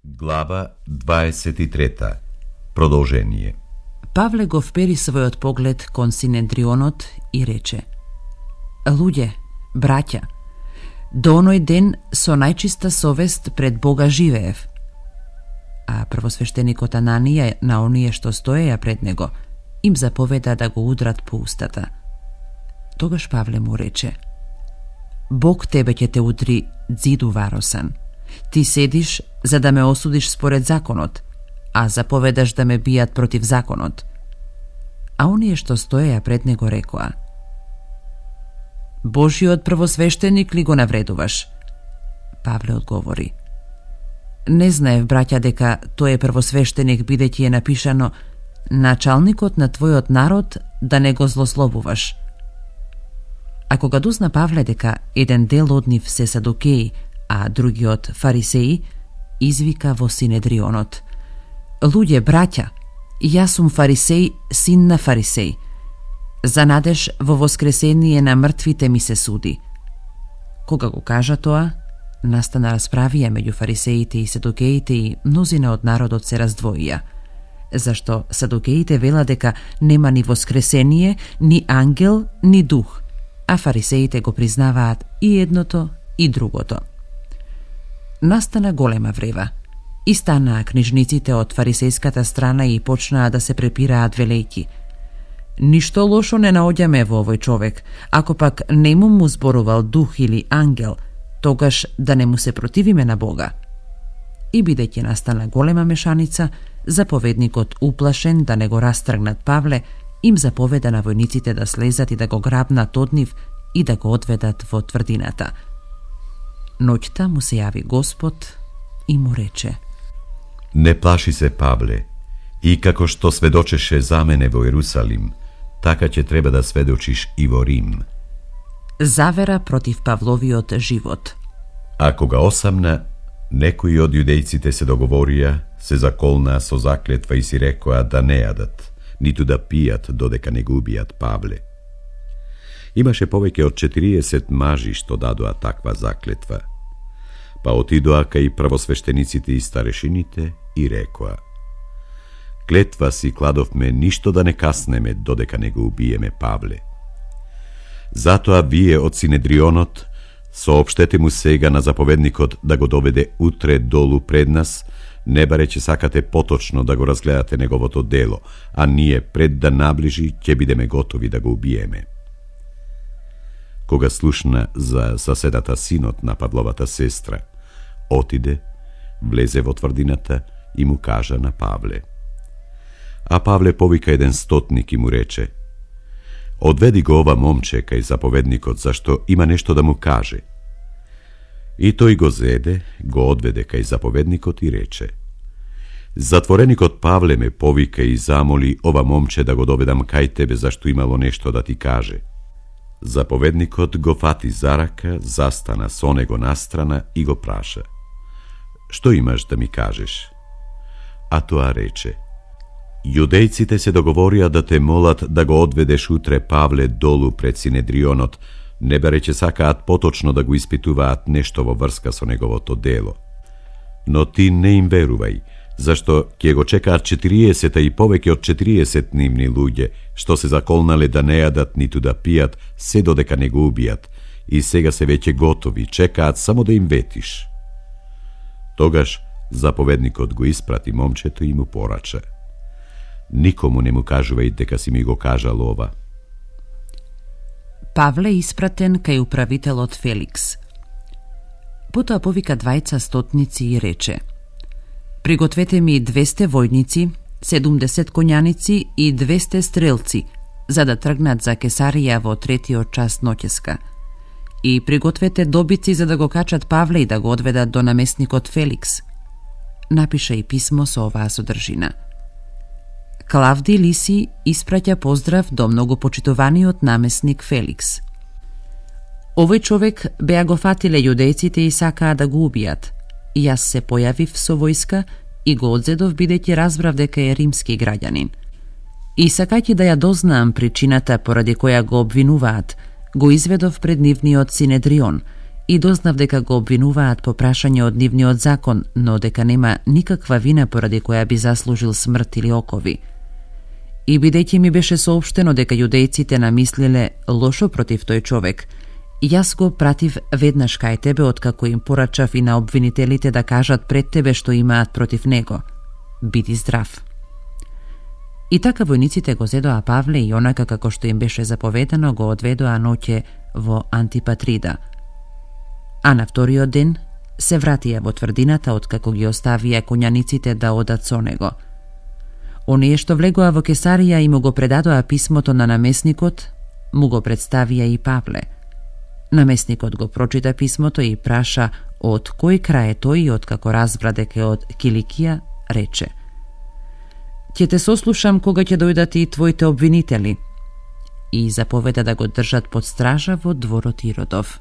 Глава 23. Продолжение. Павле го впери својот поглед кон Синедрионот и рече: Луѓе, браќа, до оној ден со најчиста совест пред Бога живеев. А првосвештеникот Ананија на оние што стоеја пред него им заповеда да го удрат по устата. Тогаш Павле му рече: Бог тебе ќе те удри дзиду варосан. Ти седиш за да ме осудиш според законот, а заповедаш да ме бијат против законот. А оние што стоеја пред него рекоа: Божиот првосвештеник ли го навредуваш? Павле одговори: Не знаев, браќа, дека тој е првосвештеник, бидејќи е напишано: Началникот на твојот народ да не го злословуваш. А кога дозна Павле дека еден дел од нив се садукеи, а другиот фарисеи, извика во Синедрионот: Луѓе, браќа, јас сум фарисеј, син на фарисеј. За надеж во воскресение на мртвите ми се суди. Кога го кажа тоа, настана расправија меѓу фарисеите и садукеите и мнозина од народот се раздвоија. Зашто садукеите вела дека нема ни воскресение, ни ангел, ни дух, а фарисеите го признаваат и едното и другото. Настана голема врева. И станаа книжниците од фарисејската страна и почнаа да се препираат велејки: Ништо лошо не наоѓаме во овој човек, ако пак не му зборувал дух или ангел, тогаш да не му се противиме на Бога. И бидејќи настана голема мешаница, заповедникот, уплашен да не го растргнат Павле, им заповеда на војниците да слезат и да го грабнат од нив и да го одведат во тврдината. Ноќта му се јави Господ и му рече: Не плаши се, Павле, и како што сведочеше за мене во Ерусалим, така ќе треба да сведочиш и во Рим. Завера против Павловиот живот. А кога осамна, некои од јудејците се договорија, се заколнаа со заклетва и си рекоа да не јадат, ниту да пијат додека не го убијат Павле. Имаше повеќе од 40 мажи што дадоа таква заклетва. Па отидоа кај првосвештениците и старешините и рекоа: Клетва си кладовме ништо да не каснеме додека не го убиеме Павле. Затоа вие од Синедрионот соопштете му сега на заповедникот да го доведе утре долу пред нас, не бареќе сакате поточно да го разгледате неговото дело, а ние пред да наближи ќе бидеме готови да го убиеме. Кога слушна за соседата синот на Павловата сестра, отиде, влезе во тврдината и му кажа на Павле. А Павле повика еден стотник и му рече: Одведи го ова момче кај заповедникот, зашто има нешто да му каже. И тој го зеде, го одведе кај заповедникот и рече: Затвореникот Павле ме повика и замоли ова момче да го доведам кај тебе, зашто имало нешто да ти каже. Заповедникот го фати за рака, застана со него настрана и го праша: Што имаш да ми кажеш? А тоа рече: Јудејците се договорија да те молат да го одведеш утре Павле долу пред Синедрионот, не бареќе сакаат поточно да го испитуваат нешто во врска со неговото дело. Но ти не им верувај, зашто ќе го чекаат 40 и повеќе од 40 нивни луѓе, што се заколнале да не јадат ниту да пијат, се додека не го убијат, и сега се веќе готови, чекаат само да им ветиш. Тогаш заповедникот го испрати момчето и му порача: Никому не му кажувај дека си ми го кажал ова. Павле испратен кај управителот Феликс. Потоа повика двајца стотници и рече: Пригответе ми 200 војници, 70 коњаници и 200 стрелци, за да тргнат за Кесарија во 3-тиот час ноќеска. И пригответе добици за да го качат Павле и да го одведат до наместникот Феликс. Напиша и писмо со оваа содржина: Клавди Лиси испраќа поздрав до многопочитуваниот наместник Феликс. Овој човек беа го фатиле јудејците и сакаа да го убијат. Јас се појавив со војска и го одзедов бидејќи разбрав дека е римски граѓанин. И сакајќи да ја дознаам причината поради која го обвинуваат, го изведов пред нивниот Синедрион и дознав дека го обвинуваат по прашање од нивниот закон, но дека нема никаква вина поради која би заслужил смрт или окови. И бидејќи ми беше соопштено дека јудејците намислиле лошо против тој човек, јас го пратив веднаш кај тебе откако им порачав и на обвинителите да кажат пред тебе што имаат против него. Биди здрав. И така војниците го зедоа Павле и онака како што им беше заповедано го одведоа ноќе во Антипатрида. А на вториот ден се вратија во тврдината откако ги оставија коњаниците да одат со него. Оние што влегоа во Кесарија и му го предадоа писмото на намесникот, му го представија и Павле. Намесникот го прочита писмото и праша од кој крај е тој и откако разбра дека е од Киликија, рече: ќе те сослушам кога ќе дојдат и твоите обвинители, и заповеда да го држат под стража во дворот Иродов.